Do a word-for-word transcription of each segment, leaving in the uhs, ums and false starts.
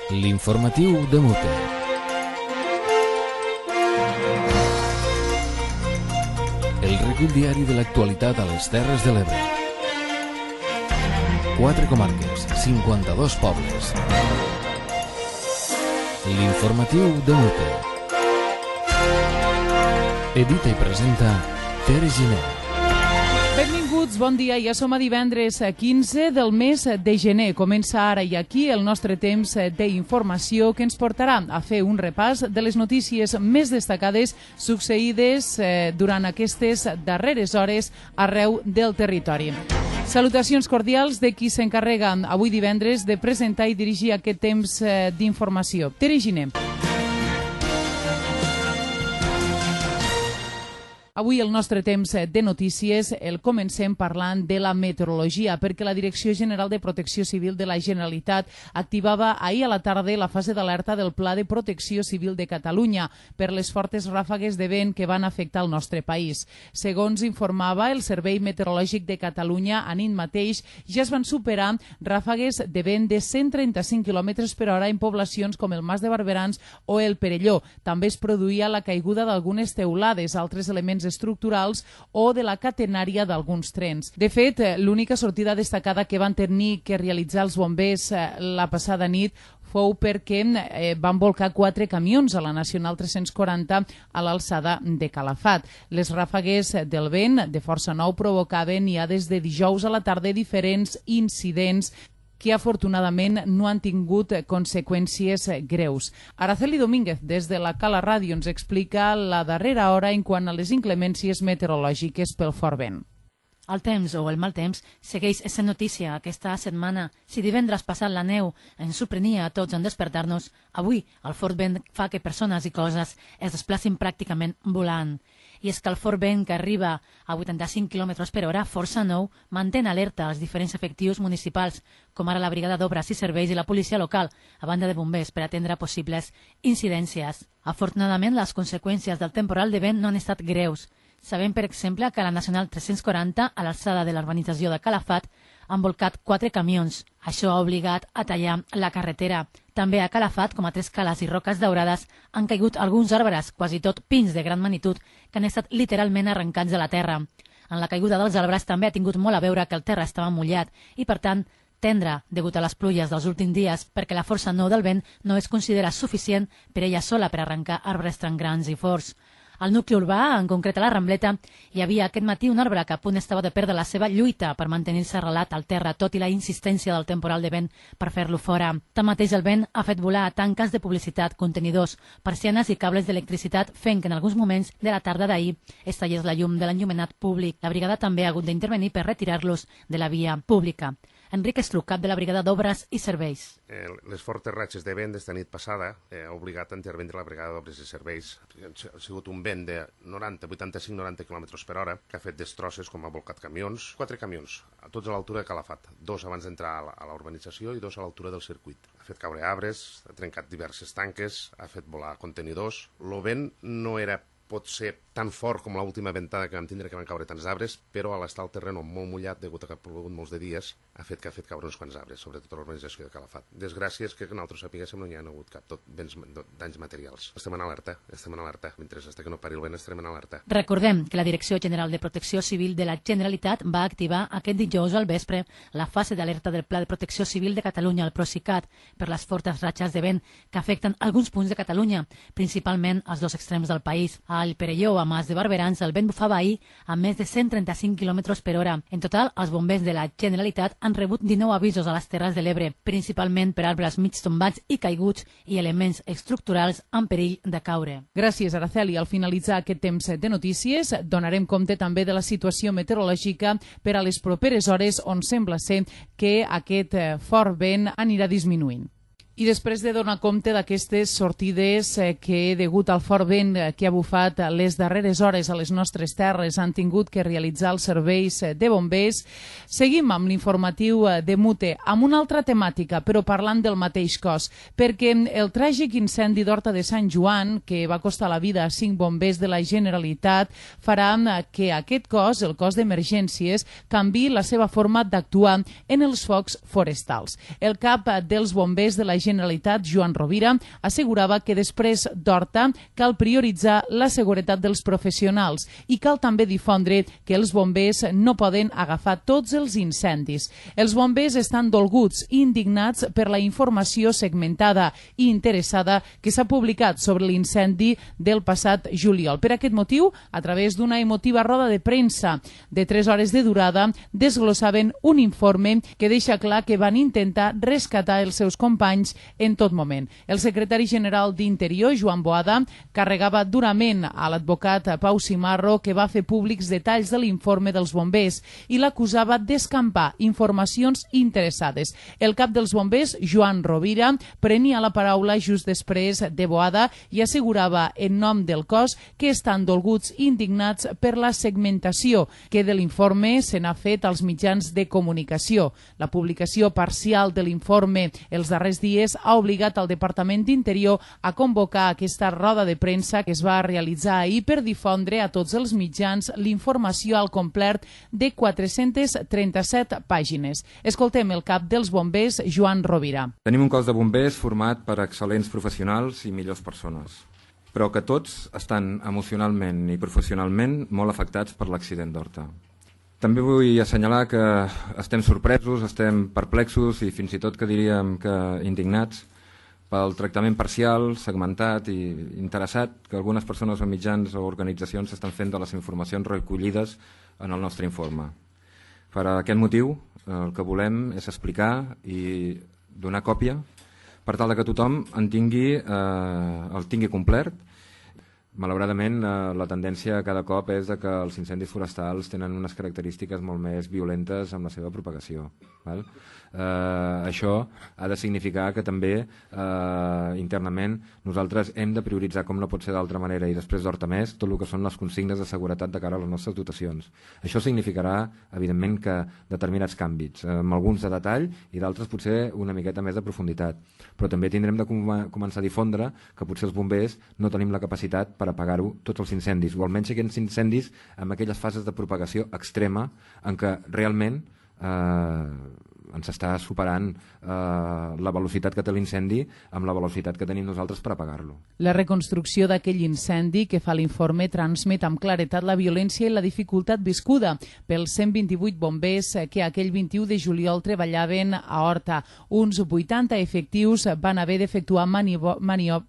L'informatiu de Mute. El recull diari de l'actualitat a les Terres de l'Ebre. Quatre comarques, cinquanta-dos pobles. L'informatiu de Mute. Edita i presenta Tere Giner. Benvinguts, bon dia. Ja som a divendres quinze del mes de gener. Comença ara i aquí el nostre temps d'informació que ens portarà a fer un repàs de les notícies més destacades succeïdes durant aquestes darreres hores arreu del territori. Salutacions cordials de qui s'encarrega avui divendres de presentar i dirigir aquest temps d'informació. Tere Giner. Avui el nostre temps de notícies el comencem parlant de la meteorologia, perquè la Direcció General de Protecció Civil de la Generalitat activava ahir a la tarda la fase d'alerta del Pla de Protecció Civil de Catalunya per les fortes ràfegues de vent que van afectar el nostre país. Segons informava el Servei Meteorològic de Catalunya, a nit mateix ja es van superar ràfegues de vent de cent trenta-cinc quilòmetres per hora en poblacions com el Mas de Barberans o el Perelló. També es produïa la caiguda d'algunes teulades, altres elements estructurals o de la catenària d'alguns trens. De fet, l'única sortida destacada que van tenir que realitzar els bombers la passada nit fou perquè eh, van volcar quatre camions a la Nacional tres-cents quaranta a l'alçada de Calafat. Les ràfegues del vent de força nou provocaven ja des de dijous a la tarda diferents incidents que afortunadament no han tingut conseqüències greus. Araceli Domínguez, des de la Cala Ràdio, ens explica la darrera hora en quant a les inclemències meteorològiques pel fort vent. El temps o el mal temps segueix sent notícia aquesta setmana. Si divendres passat la neu ens sorprenia a tots en despertar-nos, avui el fort vent fa que persones i coses es desplacin pràcticament volant. I és que el fort vent que arriba a vuitanta-cinc quilòmetres per hora, força nou, mantén alerta als diferents efectius municipals, com ara la Brigada d'Obres i Serveis i la policia local, a banda de bombers, per atendre possibles incidències. Afortunadament, les conseqüències del temporal de vent no han estat greus. Sabem, per exemple, que a la Nacional tres-cents quaranta, a l'alçada de l'urbanització de Calafat, han volcat quatre camions. Això ha obligat a tallar la carretera. També a Calafat, com a Tres Cales i Roques Daurades, han caigut alguns arbres, quasi tot pins de gran magnitud, que han estat literalment arrencats de la terra. En la caiguda dels arbres també ha tingut molt a veure que el terra estava mullat i, per tant, tendre, degut a les pluges dels últims dies, perquè la força nou del vent no es considera suficient per ella sola per arrencar arbres tan grans i forts. Al nucli urbà, en concret a la Rambleta, hi havia aquest matí un arbre que a punt estava de perdre la seva lluita per mantenir-se arrelat al terra, tot i la insistència del temporal de vent per fer-lo fora. Tanmateix, el vent ha fet volar tanques de publicitat, contenidors, persianes i cables d'electricitat, fent que en alguns moments de la tarda d'ahir es tallés la llum de l'enllumenat públic. La brigada també ha hagut d'intervenir per retirar-los de la via pública. Enric Estruc, cap de la Brigada d'Obres i Serveis. Eh, les fortes ratxes de vent d'esta nit passada eh, ha obligat a intervindre la Brigada d'Obres i Serveis. Ha sigut un vent de noranta, vuitanta-cinc noranta quilòmetres per hora que ha fet destrosses com ha volcat camions. Quatre camions, a tots a l'altura de Calafat. Dos abans d'entrar a la urbanització i dos a l'altura del circuit. Ha fet caure arbres, ha trencat diverses tanques, ha fet volar contenidors. El vent no era pot ser tan fort com l'última ventada que vam tindre, que van caure tants arbres, però a l'estar el terreny molt mullat, degut a que ha plogut molts de dies, ha fet que ha fet caure uns quants arbres, sobretot a l'urbanització de Calafat. Desgràcies que nosaltres sapiguéssim no hi ha hagut cap tot béns, danys materials. Estem en alerta, estem en alerta. Mentre fins que no pari el vent estarem en alerta. Recordem que la Direcció General de Protecció Civil de la Generalitat va activar aquest dijous al vespre la fase d'alerta del Pla de Protecció Civil de Catalunya, el Procicat, per les fortes ratxes de vent que afecten alguns punts de Catalunya, principalment als dos extrems del país. Al Perelló, a Mas de Barberans, el vent bufava ahir a més de cent trenta-cinc quilòmetres per hora. En total, els bombers de la Generalitat han rebut dinou avisos a les Terres de l'Ebre, principalment per arbres mig tombats i caiguts i elements estructurals en perill de caure. Gràcies, Araceli. Al finalitzar aquest temps de notícies, donarem compte també de la situació meteorològica per a les properes hores, on sembla ser que aquest fort vent anirà disminuint. I després de donar compte d'aquestes sortides que, degut al fort vent que ha bufat les darreres hores a les nostres terres, han tingut que realitzar els serveis de bombers, seguim amb l'informatiu de Mute, amb una altra temàtica, però parlant del mateix cos, perquè el tràgic incendi d'Horta de Sant Joan, que va costar la vida a cinc bombers de la Generalitat, farà que aquest cos, el cos d'emergències, canviï la seva forma d'actuar en els focs forestals. El cap dels bombers de la Generalitat Generalitat, Joan Rovira, assegurava que després d'Horta cal prioritzar la seguretat dels professionals i cal també difondre que els bombers no poden agafar tots els incendis. Els bombers estan dolguts i indignats per la informació segmentada i interessada que s'ha publicat sobre l'incendi del passat juliol. Per aquest motiu, a través d'una emotiva roda de premsa de tres hores de durada, desglossaven un informe que deixa clar que van intentar rescatar els seus companys en tot moment. El secretari general d'Interior, Joan Boada, carregava durament a l'advocat Pau Simarro, que va fer públics detalls de l'informe dels bombers i l'acusava d'escampar informacions interessades. El cap dels bombers, Joan Rovira, prenia la paraula just després de Boada i assegurava en nom del cos que estan dolguts i indignats per la segmentació que de l'informe se n'ha fet als mitjans de comunicació. La publicació parcial de l'informe els darrers dies ha obligat al Departament d'Interior a convocar aquesta roda de premsa que es va realitzar ahir per difondre a tots els mitjans l'informació al complet de quatre-centes trenta-set pàgines. Escoltem el cap dels bombers, Joan Rovira. Tenim un cos de bombers format per excel·lents professionals i millors persones, però que tots estan emocionalment i professionalment molt afectats per l'accident d'Horta. També vull assenyalar que estem sorpresos, estem perplexos i fins i tot que diríem que indignats pel tractament parcial, segmentat i interessat que algunes persones o mitjans o organitzacions estan fent de les informacions recollides en el nostre informe. Per aquest motiu, el que volem és explicar i donar còpia per tal que tothom en tingui, eh, el tingui complet. Malauradament, eh, la tendència cada cop és que els incendis forestals tenen unes característiques molt més violentes amb la seva propagació. Val? Eh, això ha de significar que també eh, internament nosaltres hem de prioritzar, com no pot ser d'altra manera, i després d'Horta més, tot el que són les consignes de seguretat de cara a les nostres dotacions. Això significarà, evidentment, que determinats canvis, eh, amb alguns de detall i d'altres potser una miqueta més de profunditat. Però també tindrem de com començar a difondre que potser els bombers no tenim la capacitat per apagar-ho tots els incendis, o almenys aquells incendis amb aquelles fases de propagació extrema en què realment eh, ens està superant eh, la velocitat que té l'incendi amb la velocitat que tenim nosaltres per apagar-lo. La reconstrucció d'aquell incendi que fa l'informe transmet amb claretat la violència i la dificultat viscuda pels cent vint-i-vuit bombers que aquell vint-i-u de juliol treballaven a Horta. Uns vuitanta efectius van haver d'efectuar maniobres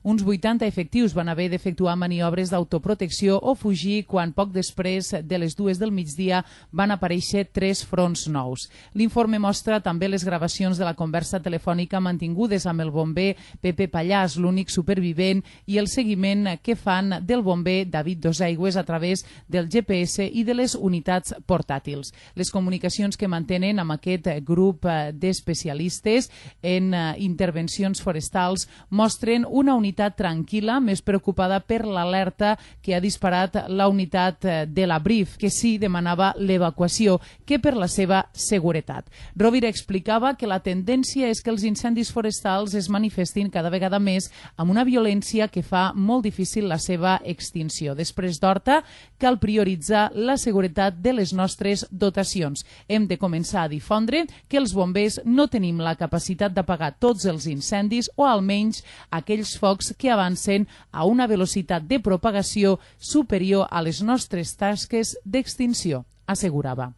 Uns vuitanta efectius van haver d'efectuar maniobres d'autoprotecció o fugir quan poc després de les dues del migdia van aparèixer tres fronts nous. L'informe mostra també les gravacions de la conversa telefònica mantingudes amb el bomber Pepe Pallàs, l'únic supervivent, i el seguiment que fan del bomber David Dosaigües a través del G P S i de les unitats portàtils. Les comunicacions que mantenen amb aquest grup d'especialistes en intervencions forestals mostren una unitat tranquil·la, més preocupada per l'alerta que ha disparat la unitat de la Brif, que sí demanava l'evacuació, que per la seva seguretat. Rovira explicava que la tendència és que els incendis forestals es manifestin cada vegada més amb una violència que fa molt difícil la seva extinció. Després d'Horta, cal prioritzar la seguretat de les nostres dotacions. Hem de començar a difondre que els bombers no tenim la capacitat d'apagar tots els incendis o almenys aquells focs que avancen a una velocitat de propagació superior a les nostres tasques d'extinció, assegurava.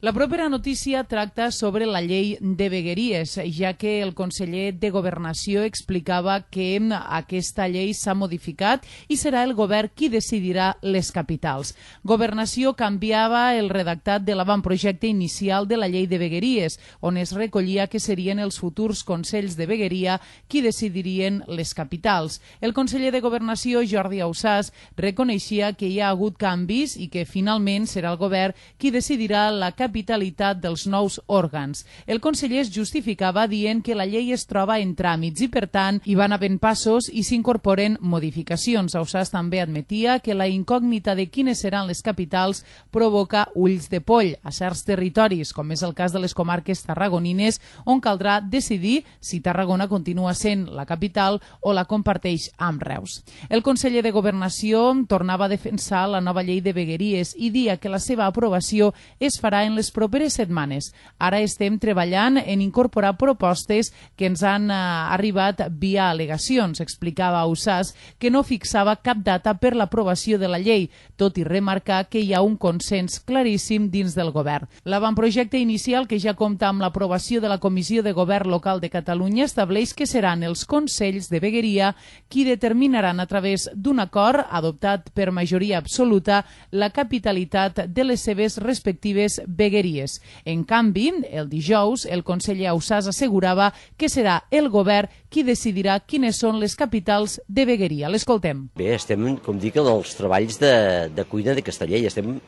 La propera notícia tracta sobre la llei de vegueries, ja que el conseller de Governació explicava que aquesta llei s'ha modificat i serà el govern qui decidirà les capitals. Governació canviava el redactat de l'avantprojecte inicial de la llei de vegueries, on es recollia que serien els futurs consells de vegueria qui decidirien les capitals. El conseller de Governació, Jordi Ausàs, reconeixia que hi ha hagut canvis i que finalment serà el govern qui decidirà la capitalitat dels nous òrgans. El conseller es justificava dient que la llei es troba en tràmits i, per tant, hi van havent passos i s'incorporen modificacions. Ausàs també admetia que la incògnita de quines seran les capitals provoca ulls de poll a certs territoris, com és el cas de les comarques tarragonines, on caldrà decidir si Tarragona continua sent la capital o la comparteix amb Reus. El conseller de Governació tornava a defensar la nova llei de vegueries i dia que la seva aprovació es farà en les properes setmanes. Ara estem treballant en incorporar propostes que ens han eh, arribat via al·legacions, explicava Ausàs, que no fixava cap data per l'aprovació de la llei, tot i remarcar que hi ha un consens claríssim dins del govern. L'avantprojecte inicial, que ja compta amb l'aprovació de la Comissió de Govern Local de Catalunya, estableix que seran els consells de vegueria qui determinaran a través d'un acord adoptat per majoria absoluta la capitalitat de les seves respectives vegueries. En canvi, el dijous, el conseller Ausàs assegurava que serà el govern qui decidirà quines són les capitals de vegueria. L'escoltem. Bé, estem, com dic, en els treballs de, de cuina d'aquesta llei, estem en,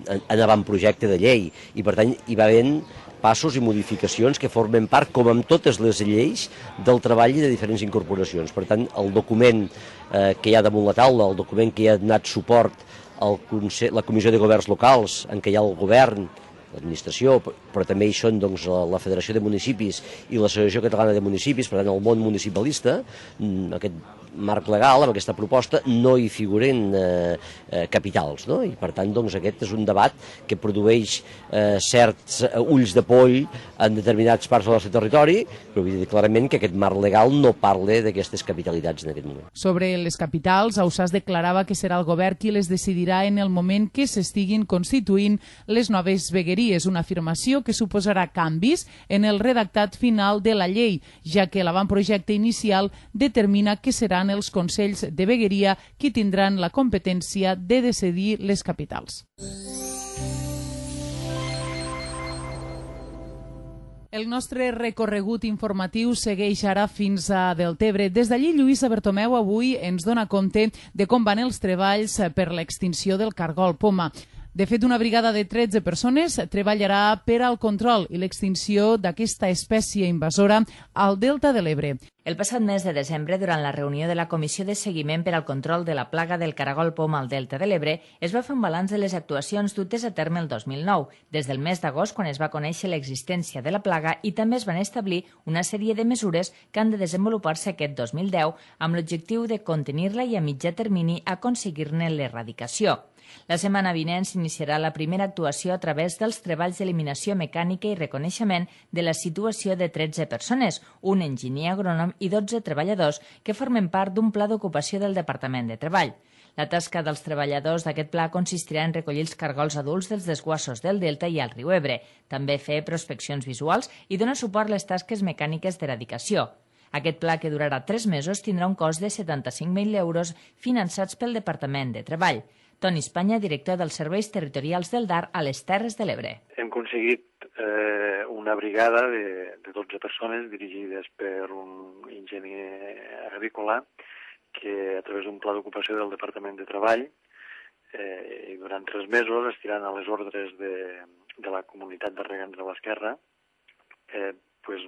en, en avantprojecte de llei i, per tant, hi va havent passos i modificacions que formen part, com amb totes les lleis, del treball i de diferents incorporacions. Per tant, el document eh, que hi ha damunt la taula, el document que hi ha donat suport al Consell, la Comissió de Governs Locals, en què hi ha el govern, l'administració, però també hi són doncs, la Federació de Municipis i l'Associació Catalana de Municipis, per tant el món municipalista, aquest marc legal, amb aquesta proposta, no hi figuren eh, eh, capitals, no? I per tant doncs, aquest és un debat que produeix eh, certs eh, ulls de poll en determinats parts del nostre territori, però vull dir clarament que aquest marc legal no parla d'aquestes capitalitats en aquest moment. Sobre les capitals, Ausàs declarava que serà el govern qui les decidirà en el moment que s'estiguin constituint les noves vegueries, una afirmació que suposarà canvis en el redactat final de la llei, ja que l'avantprojecte inicial determina que seran els consells de vegueria qui tindran la competència de decidir les capitals. El nostre recorregut informatiu segueix ara fins a Deltebre. Des d'allí, Lluïsa Bertomeu avui ens dona compte de com van els treballs per l'extinció del cargol poma. De fet, una brigada de tretze persones treballarà per al control i l'extinció d'aquesta espècie invasora al Delta de l'Ebre. El passat mes de desembre, durant la reunió de la Comissió de Seguiment per al Control de la Plaga del Caragol Poma al Delta de l'Ebre, es va fer un balanç de les actuacions dutes a terme el dos mil nou, des del mes d'agost, quan es va conèixer l'existència de la plaga, i també es van establir una sèrie de mesures que han de desenvolupar-se aquest dos mil deu amb l'objectiu de contenir-la i a mitjà termini aconseguir-ne l'erradicació. La setmana vinent s'iniciarà la primera actuació a través dels treballs d'eliminació mecànica i reconeixement de la situació de tretze persones, un enginyer agrònom i dotze treballadors que formen part d'un pla d'ocupació del Departament de Treball. La tasca dels treballadors d'aquest pla consistirà en recollir els cargols adults dels desguassos del Delta i al riu Ebre, també fer prospeccions visuals i donar suport a les tasques mecàniques d'eradicació. Aquest pla, que durarà tres mesos, tindrà un cost de setanta-cinc mil euros finançats pel Departament de Treball. Toni Espanya, director dels Serveis Territorials del D A R a les Terres de l'Ebre. Hem aconseguit eh, una brigada de, de dotze persones dirigides per un enginyer agrícola que a través d'un pla d'ocupació del Departament de Treball eh, i durant tres mesos estiran a les ordres de, de la comunitat de regants de l'Esquerra eh, pues,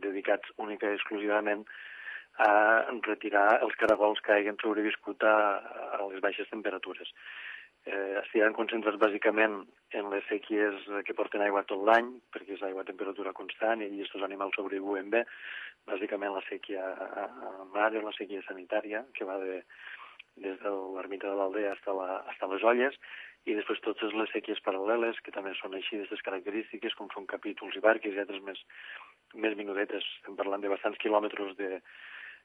dedicats única i exclusivament a retirar els caragols que hagin sobreviscut a, a les baixes temperatures. Eh, estiran concentrats bàsicament en les sèquies que porten aigua tot l'any, perquè és aigua a temperatura constant i aquests animals sobreviuen bé, bàsicament la sèquia a mar i la sèquia sanitària, que va de, des de l'ermita de l'Aldea fins a les Olles, i després totes les sèquies paral·leles, que també són així d'aquestes característiques, com són capítols i barques i altres més, més minudetes. Estem parlant de bastants quilòmetres de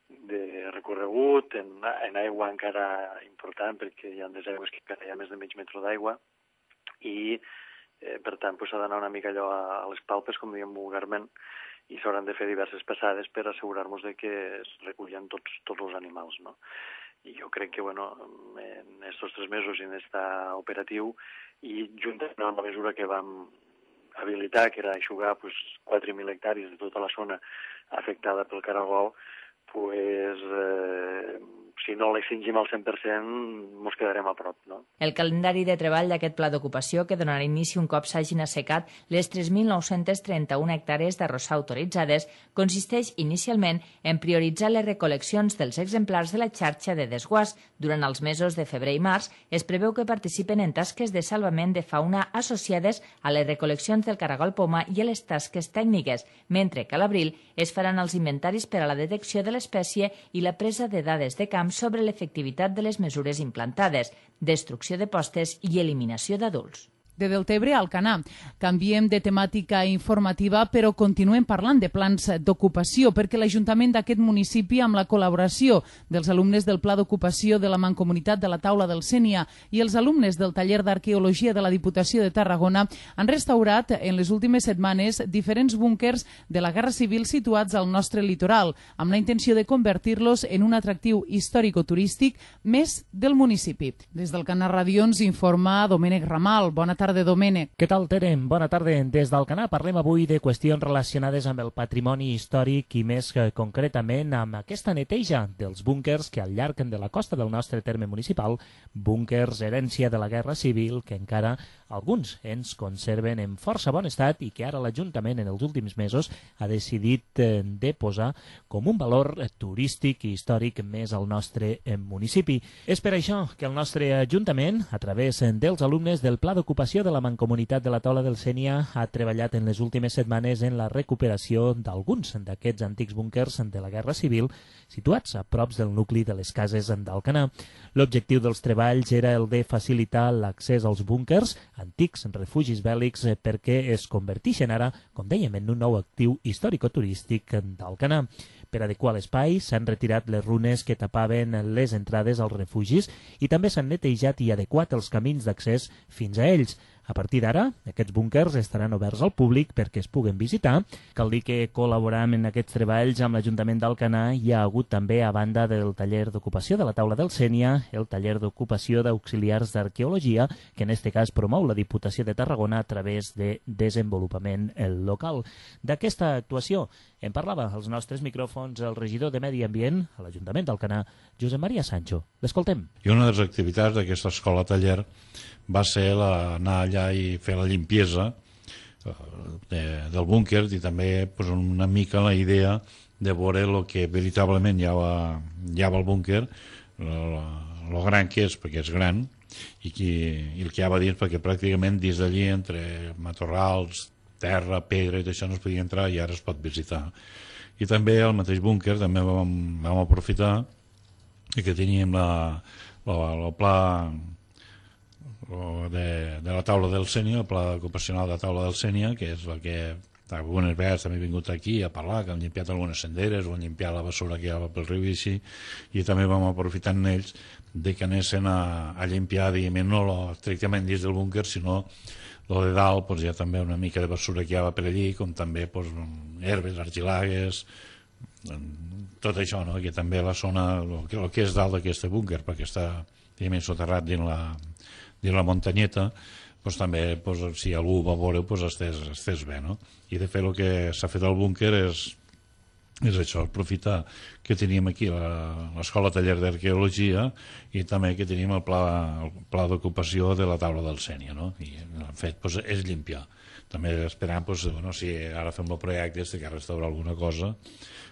de recorregut, en, en aigua encara important, perquè hi ha des aigües que encara hi ha més de mig metre d'aigua, i eh, per tant s'ha d'anar una mica allò a, a les palpes, com diem vulgarment, i s'hauran de fer diverses passades per assegurar-nos de que es recullen tots, tots els animals, no? I jo crec que, bueno, en aquests tres mesos en aquest operatiu, i juntament amb la mesura que vam habilitar, que era aixugar pues, quatre mil hectàrees de tota la zona afectada pel caragol, pues, eh, si no l'extingim al cent per cent, ens quedarem a prop, no? El calendari de treball d'aquest pla d'ocupació, que donarà inici un cop s'hagin assecat les tres mil nou-cents trenta-u hectàrees d'arrossar autoritzades, consisteix inicialment en prioritzar les recol·leccions dels exemplars de la xarxa de desguàs. Durant els mesos de febrer i març es preveu que participen en tasques de salvament de fauna associades a les recol·leccions del caragol poma i a les tasques tècniques, mentre que a l'abril es faran els inventaris per a la detecció de l'espècie i la presa de dades de camp sobre l'efectivitat de les mesures implantades, destrucció de postes i eliminació d'adults. de Deltebre a Alcanar. Canviem de temàtica informativa, però continuem parlant de plans d'ocupació, perquè l'Ajuntament d'aquest municipi, amb la col·laboració dels alumnes del Pla d'Ocupació de la Mancomunitat de la Taula del Sénia i els alumnes del Taller d'Arqueologia de la Diputació de Tarragona, han restaurat en les últimes setmanes diferents búnquers de la Guerra Civil situats al nostre litoral, amb la intenció de convertir-los en un atractiu històrico-turístic més del municipi. Des del Canal Ràdio ens informa Domènec Ramal. Bona tarda. Tarda, Domènec. Què tal, Tere? Bona tarda. Des d'Alcanar parlem avui de qüestions relacionades amb el patrimoni històric i més concretament amb aquesta neteja dels búnquers que al llarg de la costa del nostre terme municipal, búnquers herència de la Guerra Civil, que encara alguns ens conserven en força bon estat i que ara l'Ajuntament en els últims mesos ha decidit de posar com un valor turístic i històric més al nostre municipi. És per això que el nostre Ajuntament, a través dels alumnes del Pla d'Ocupació de la Mancomunitat de la Taula del Sénia, ha treballat en les últimes setmanes en la recuperació d'alguns d'aquests antics búnquers de la Guerra Civil situats a prop del nucli de les cases d'Alcanar. L'objectiu dels treballs era el de facilitar l'accés als búnquers, antics refugis bèl·lics, perquè es converteixen ara, com dèiem, en un nou actiu històrico-turístic d'Alcanar. Per adequar l'espai s'han retirat les runes que tapaven les entrades als refugis i també s'han netejat i adequat els camins d'accés fins a ells. A partir d'ara, aquests búnquers estaran oberts al públic perquè es puguen visitar. Cal dir que col·laborant en aquests treballs amb l'Ajuntament d'Alcanar hi ha hagut també, a banda del taller d'ocupació de la Taula del Sénia, el taller d'ocupació d'auxiliars d'arqueologia, que en aquest cas promou la Diputació de Tarragona a través de desenvolupament local. D'aquesta actuació en parlava als nostres micròfons el regidor de Medi Ambient a l'Ajuntament d'Alcanar, Josep Maria Sancho. L'escoltem. I una de les activitats d'aquesta escola taller va ser la, anar allà i fer la limpiesa de, del búnquer i també pues, una mica la idea de veure el que veritablement hi ha, hi ha al búnquer, el gran que és, perquè és gran, i, qui, i el que hi ha dins, perquè pràcticament dins d'allí, entre matorrals, terra, pedra i això no es podia entrar i ara es pot visitar. I també al mateix búnquer també vam, vam aprofitar que teníem la, la, la pla de, de la taula del Sénia, el pla ocupacional de la taula del Sénia, que és el que algunes vegades també he vingut aquí a parlar, que han limpiat algunes senderes o han limpiat la bessura que hi ha pel riu i així, i també vam aprofitar en ells de que anessin a, a limpiar, diguem, no lo, estrictament dins del búnquer, sinó lo de dalt, pues, hi ha també una mica de bessura que hi ha per allí, com també pues, herbes, argilagues, tot això, no? Que també la zona, el que, el que és dalt d'aquest búnquer, perquè està, diguem, soterrat dins la dins la muntanyeta, pues, també pues, si algú va veure pues, estés, estés bé, no? I de fet el que s'ha fet al búnquer és, és això, aprofitar que teníem aquí l'escola taller d'arqueologia i també que teníem el pla, el pla d'ocupació de la taula del Sénia, no? I en fet pues, és limpiar. També esperant, pues, bueno, si ara fem el projecte de que restaurar alguna cosa,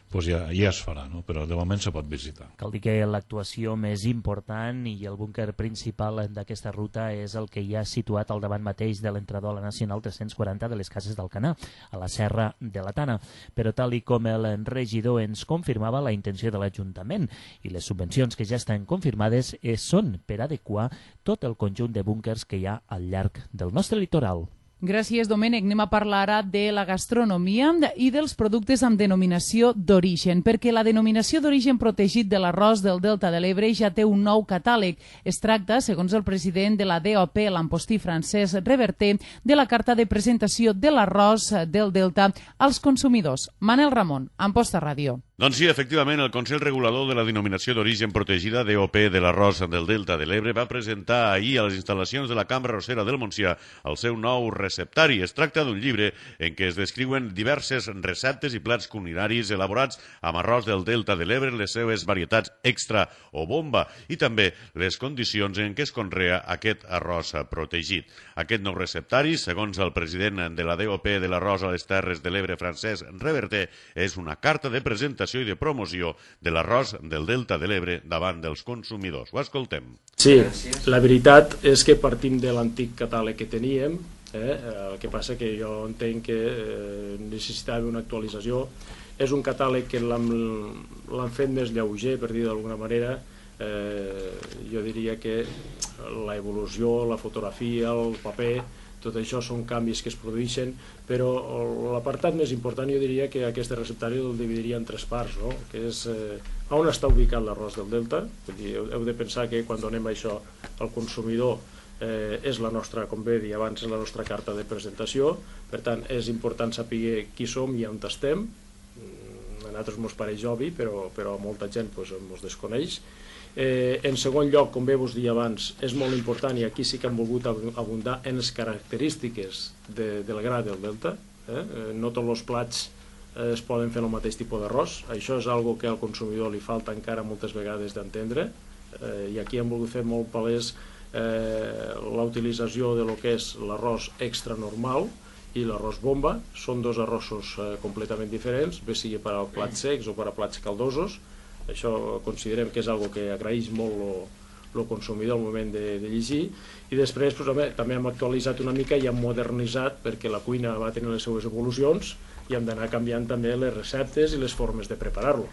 pues ja, ja es farà, no? Però de moment se pot visitar. Cal dir que l'actuació més important i el búnquer principal d'aquesta ruta és el que hi ha situat al davant mateix de l'entrador a la Nacional tres-cents quaranta de les Cases d'Alcanar, a la Serra de la Tana. Però tal i com el regidor ens confirmava, la intenció de l'Ajuntament i les subvencions que ja estan confirmades són per adequar tot el conjunt de búnquers que hi ha al llarg del nostre litoral. Gràcies, Domènec. Anem a parlar ara de la gastronomia i dels productes amb denominació d'origen, perquè la denominació d'origen protegit de l'arròs del Delta de l'Ebre ja té un nou catàleg. Es tracta, segons el president de la D O P, l'empostí Francesc Reverter, de la carta de presentació de l'arròs del Delta als consumidors. Manel Ramon, Amposta Ràdio. Doncs sí, efectivament, el Consell Regulador de la Denominació d'Origen Protegida, D O P, de l'arròs del Delta de l'Ebre va presentar ahir a les instal·lacions de la Cambra Arrossera del Montsià el seu nou receptari. Es tracta d'un llibre en què es descriuen diverses receptes i plats culinaris elaborats amb arròs del Delta de l'Ebre, les seves varietats extra o bomba i també les condicions en què es conrea aquest arròs protegit. Aquest nou receptari, segons el president de la D O P de l'arròs a les Terres de l'Ebre, Francesc Reverter, és una carta de presentació i de promoció de l'arròs del Delta de l'Ebre davant dels consumidors. Ho escoltem. Sí, la veritat és que partim de l'antic catàleg que teníem, eh? El que passa que jo entenc que eh, necessitava una actualització. És un catàleg que l'han fet més lleuger, per dir d'alguna manera. Eh, jo diria que l'evolució, la fotografia, el paper, tot això són canvis que es produeixen, però l'apartat més important jo diria que aquest receptari el dividiria en tres parts, no? Que és eh, on està ubicat l'arròs del Delta. Vull dir, heu, heu de pensar que quan donem això al consumidor eh, és la nostra, com bé dir abans, és la nostra carta de presentació, per tant és important saber qui som i on estem. A nosaltres ens pareix obvi, però, però a molta gent pues, ens desconeix. Eh, en segon lloc, com bé vos dia abans, és molt important, i aquí sí que hem volgut abundar en les característiques de, del gra del Delta. Eh? No tots els plats eh, es poden fer el mateix tipus d'arròs. Això és algo que al consumidor li falta encara moltes vegades d'entendre, eh, i aquí hem volgut fer molt palès eh, la utilització de lo que és l'arròs extra normal i l'arròs bomba. Són dos arrossos eh, completament diferents, bé sigui per a plats secs o per a plats caldosos. Això considerem que és algo que agraeix molt el consumidor al moment de, de llegir, i després pues, home, també hem actualitzat una mica i hem modernitzat perquè la cuina va tenir les seues evolucions i hem d'anar canviant també les receptes i les formes de preparar-lo.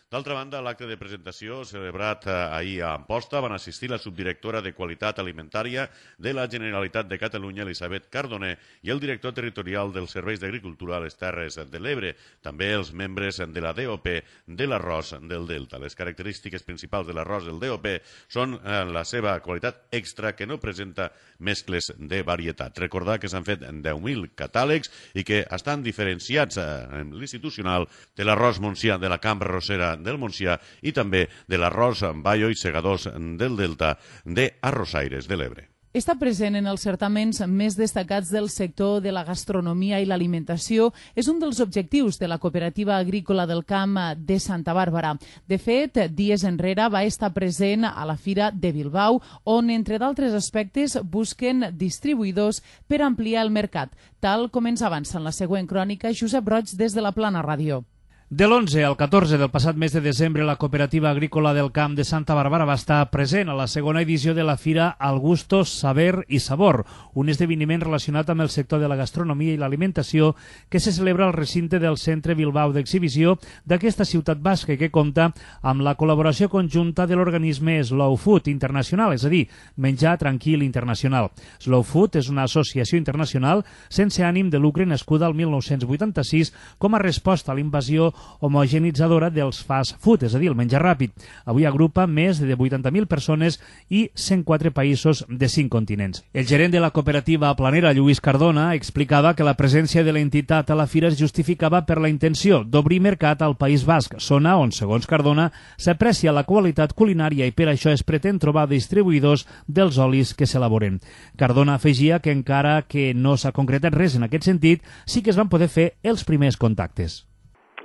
D'altra banda, a l'acte de presentació celebrat ahir a Amposta van assistir la subdirectora de Qualitat Alimentària de la Generalitat de Catalunya, Elisabet Cardoner, i el director territorial dels Serveis d'Agricultura a les Terres de l'Ebre, també els membres de la D O P de l'arròs del Delta. Les característiques principals de l'arròs del D O P són la seva qualitat extra, que no presenta mescles de varietat. Recordar que s'han fet deu mil catàlegs i que estan diferenciats en l'institucional de l'arròs montsià de la Cambra Rosera del Montsià i també de l'arròs Bayo i Segadors del Delta de Arrossaires de l'Ebre. Està present en els certaments més destacats del sector de la gastronomia i l'alimentació. És un dels objectius de la Cooperativa Agrícola del Camp de Santa Bàrbara. De fet, dies enrere va estar present a la Fira de Bilbao, on, entre d'altres aspectes, busquen distribuïdors per ampliar el mercat, tal com ens avança en la següent crònica Josep Roig des de la Plana Ràdio. De l'onze al catorze del passat mes de desembre, la Cooperativa Agrícola del Camp de Santa Bàrbara va estar present a la segona edició de la Fira Al Gusto, Saber i Sabor, un esdeveniment relacionat amb el sector de la gastronomia i l'alimentació que se celebra al recinte del Centre Bilbao d'Exhibició d'aquesta ciutat basca, que compta amb la col·laboració conjunta de l'organisme Slow Food Internacional, és a dir, Menjar Tranquil Internacional. Slow Food és una associació internacional sense ànim de lucre nascuda al mil nou-cents vuitanta-sis com a resposta a l'invasió homogenitzadora dels fast food, és a dir, el menjar ràpid. Avui agrupa més de vuitanta mil persones i cent quatre països de cinc continents. El gerent de la cooperativa planera, Lluís Cardona, explicava que la presència de l'entitat a la fira es justificava per la intenció d'obrir mercat al País Basc, zona on, segons Cardona, s'aprecia la qualitat culinària i per això es pretén trobar distribuïdors dels olis que s'elaboren. Cardona afegia que encara que no s'ha concretat res en aquest sentit, sí que es van poder fer els primers contactes.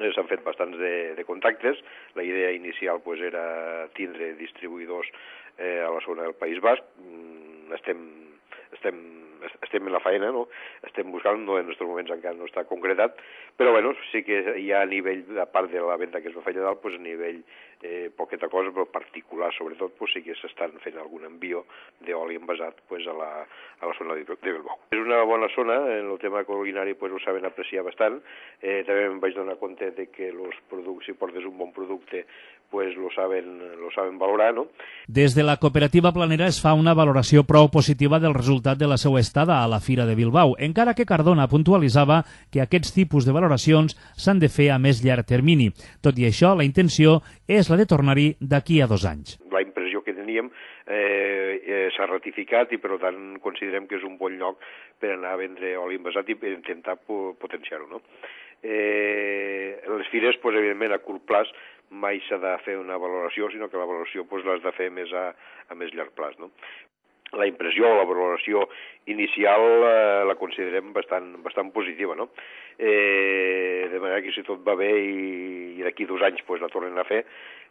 S'han fet bastants de, de contactes. La idea inicial pues, era tindre distribuïdors eh, a la zona del País Basc. Estem, estem, estem en la faena, no? Estem buscant, no, en aquests moments encara no està concretat, però bueno, sí que hi ha a nivell, a part de la venda que es va fer allà dalt, pues, a nivell eh, poqueta cosa, però particular sobretot, pues, sí que s'estan fent algun envió d'oli envasat pues, a, la, a la zona de Bilbao. És una bona zona, en el tema culinari pues, ho saben apreciar bastant. Eh, també em vaig donar compte de que los productes, si portes un bon producte, pues lo saben, lo saben valorar, no? Des de la cooperativa planera es fa una valoració prou positiva del resultat de la seva estada a la Fira de Bilbao, encara que Cardona puntualitzava que aquests tipus de valoracions s'han de fer a més llarg termini. Tot i això, la intenció és la de tornar-hi d'aquí a dos anys. La impressió que teníem eh, eh, s'ha ratificat i per tant considerem que és un bon lloc per anar a vendre oli envasat i per intentar potenciar-ho, no? Eh, les fires, pues, evidentment, a curt plaç mai s'ha de fer una valoració, sinó que la valoració pues, l'has de fer més a, a més llarg plaç, no? La impressió o la valoració inicial eh, la considerem bastant, bastant positiva, no? Eh, de manera que si tot va bé i, i d'aquí dos anys pues, la tornen a fer,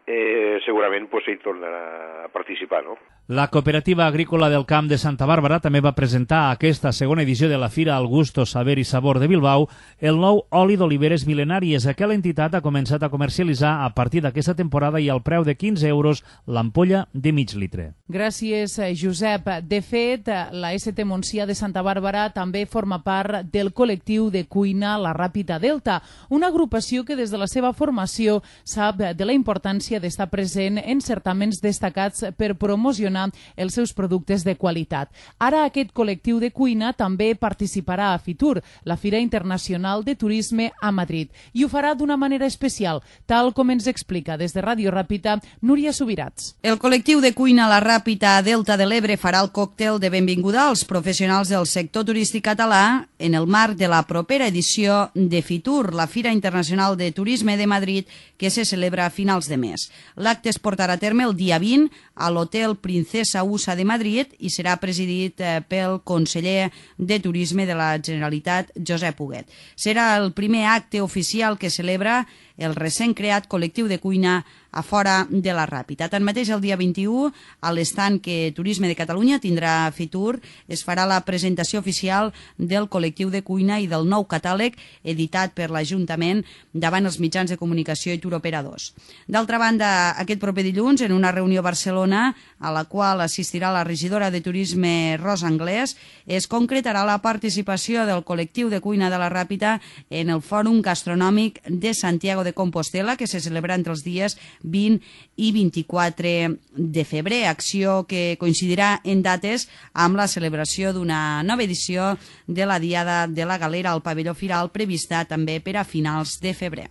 eh, segurament pues, s'hi tornarà a participar, no? La Cooperativa Agrícola del Camp de Santa Bàrbara també va presentar a aquesta segona edició de la Fira Al Gusto, Saber i Sabor de Bilbao el nou oli d'oliveres mil·lenàries que l'entitat ha començat a comercialitzar a partir d'aquesta temporada i al preu de quinze euros l'ampolla de mig litre. Gràcies, Josep. De fet, la S T Montsià de Santa Bàrbara també forma part del col·lectiu de cuina La Ràpida Delta, una agrupació que des de la seva formació sap de la importància d'estar present en certaments destacats per promocionar promocionar els seus productes de qualitat. Ara aquest col·lectiu de cuina també participarà a Fitur, la Fira Internacional de Turisme a Madrid, i ho farà d'una manera especial, tal com ens explica des de Ràdio Ràpita Núria Subirats. El col·lectiu de cuina La Ràpita a Delta de l'Ebre farà el còctel de benvinguda als professionals del sector turístic català en el marc de la propera edició de Fitur, la Fira Internacional de Turisme de Madrid, que se celebra a finals de mes. L'acte es portarà a terme el dia vint a l'Hotel Princesa Usa de Madrid i serà presidit pel conseller de Turisme de la Generalitat, Josep Huguet. Serà el primer acte oficial que celebra el recent creat col·lectiu de cuina a fora de la Ràpita. Tanmateix, el dia vint-i-u, a l'estand que Turisme de Catalunya tindrà a Fitur, es farà la presentació oficial del col·lectiu de cuina i del nou catàleg editat per l'Ajuntament davant els mitjans de comunicació i turoperadors. D'altra banda, aquest proper dilluns, en una reunió a Barcelona, a la qual assistirà la regidora de Turisme Rosa Anglès, es concretarà la participació del col·lectiu de cuina de la Ràpita en el Fòrum Gastronòmic de Santiago de Compostela, que se celebra entre els dies vint i vint-i-quatre de febrer, acció que coincidirà en dates amb la celebració d'una nova edició de la Diada de la Galera al Pavelló Firal, prevista també per a finals de febrer.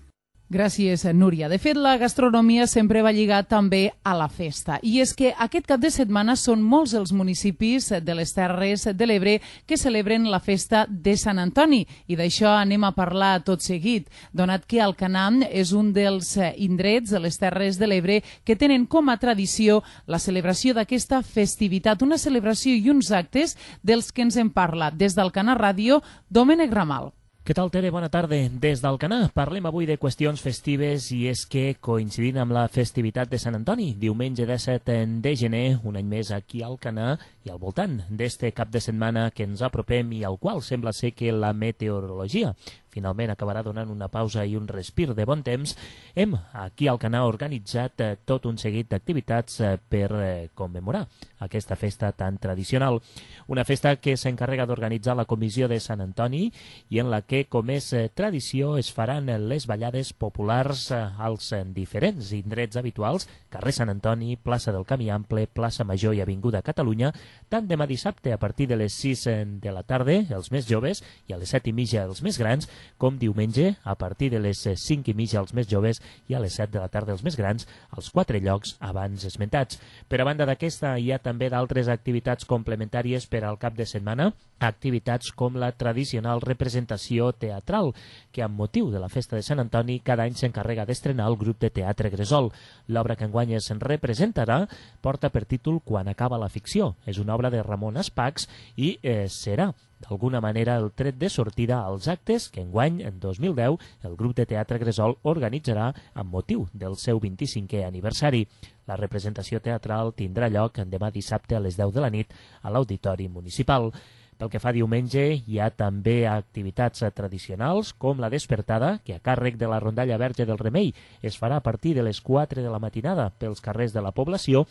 Gràcies, Núria. De fet, la gastronomia sempre va lligat també a la festa. I és que aquest cap de setmana són molts els municipis de les Terres de l'Ebre que celebren la festa de Sant Antoni. I d'això anem a parlar tot seguit, donat que Alcanar és un dels indrets de les Terres de l'Ebre que tenen com a tradició la celebració d'aquesta festivitat, una celebració i uns actes dels que ens en parla des d'Alcanar Ràdio, Domènec Ramal. Què tal, Tere? Bona tarda. Des d'Alcanar parlem avui de qüestions festives i és que, coincidint amb la festivitat de Sant Antoni, diumenge disset de gener, un any més aquí a Alcanar i al voltant d'este cap de setmana que ens apropem i al qual sembla ser que la meteorologia finalment acabarà donant una pausa i un respir de bon temps, hem aquí a Alcanar organitzat eh, tot un seguit d'activitats eh, per eh, commemorar aquesta festa tan tradicional. Una festa que s'encarrega d'organitzar la Comissió de Sant Antoni i en la que, com és eh, tradició, es faran les ballades populars eh, als eh, diferents indrets habituals, carrer Sant Antoni, plaça del Camí Ample, plaça Major i Avinguda Catalunya, tant demà dissabte a partir de les sis de la tarda, els més joves, i a les set i mitja els més grans, com diumenge a partir de les cinc i mitja els més joves i a les set de la tarda els més grans, als quatre llocs abans esmentats. Per a banda d'aquesta, hi ha també d'altres activitats complementàries per al cap de setmana, activitats com la tradicional representació teatral, que amb motiu de la festa de Sant Antoni cada any s'encarrega d'estrenar el grup de teatre Gresol. L'obra que enguany es representarà porta per títol Quan acaba la ficció. És una obra de Ramon Espacs i eh, serà d'alguna manera el tret de sortida als actes que enguany, en dos mil deu, el grup de teatre Gresol organitzarà amb motiu del seu vint-i-cinquè aniversari. La representació teatral tindrà lloc demà dissabte a les deu de la nit a l'Auditori Municipal. Pel que fa a diumenge, hi ha també activitats tradicionals com la despertada, que a càrrec de la rondalla Verge del Remei es farà a partir de les quatre de la matinada pels carrers de la població.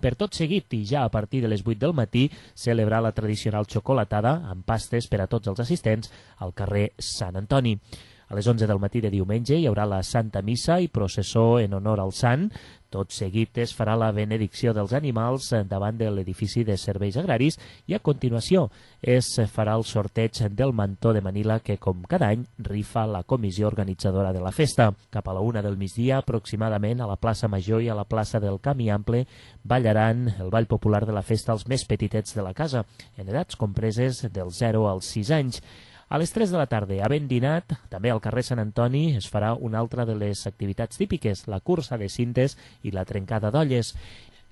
Per tot seguit i ja a partir de les vuit del matí celebrar la tradicional xocolatada amb pastes per a tots els assistents al carrer Sant Antoni. A les onze del matí de diumenge hi haurà la Santa Missa i processó en honor al Sant. Tot seguit es farà la benedicció dels animals davant de l'edifici de serveis agraris i a continuació es farà el sorteig del mantó de Manila que, com cada any, rifa la comissió organitzadora de la festa. Cap a la una del migdia, aproximadament, a la plaça Major i a la plaça del Camí Ample ballaran el ball popular de la festa als més petitets de la casa, en edats compreses del zero als sis anys. A les tres de la tarda, havent dinat, també al carrer Sant Antoni es farà una altra de les activitats típiques, la cursa de cintes i la trencada d'olles.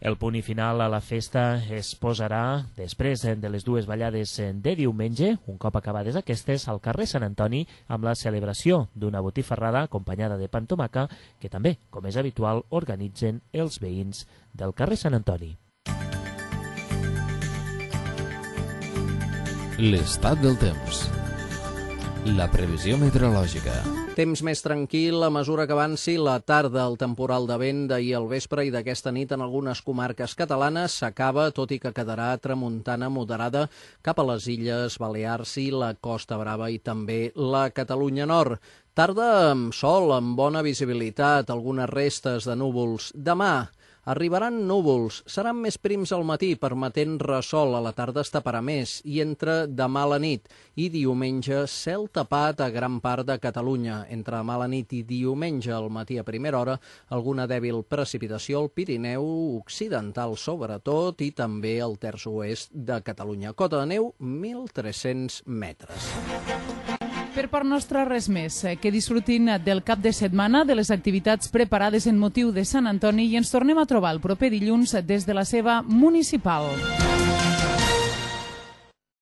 El punt i final a la festa es posarà després de les dues ballades de diumenge, un cop acabades aquestes, al carrer Sant Antoni amb la celebració d'una botifarrada acompanyada de pa amb tomaca que també, com és habitual, organitzen els veïns del carrer Sant Antoni. L'estat del temps. La previsió meteorològica. Temps més tranquil a mesura que avanci la tarda. El temporal de vent d'ahir al vespre i d'aquesta nit en algunes comarques catalanes s'acaba, tot i que quedarà tramuntana moderada cap a les Illes Balears i la Costa Brava i també la Catalunya Nord. Tarda amb sol, amb bona visibilitat, algunes restes de núvols. Demà, Arribaran núvols, seran més prims al matí, permetent ressol, a la tarda es taparà més, i entre demà a la nit i diumenge cel tapat a gran part de Catalunya. Entre demà a la nit i diumenge al matí a primera hora, alguna dèbil precipitació al Pirineu occidental sobretot i també al terç oest de Catalunya. Cota de neu, mil tres-cents metres. Per part nostra, res més. Que disfrutin del cap de setmana, de les activitats preparades en motiu de Sant Antoni i ens tornem a trobar el proper dilluns des de la seva municipal.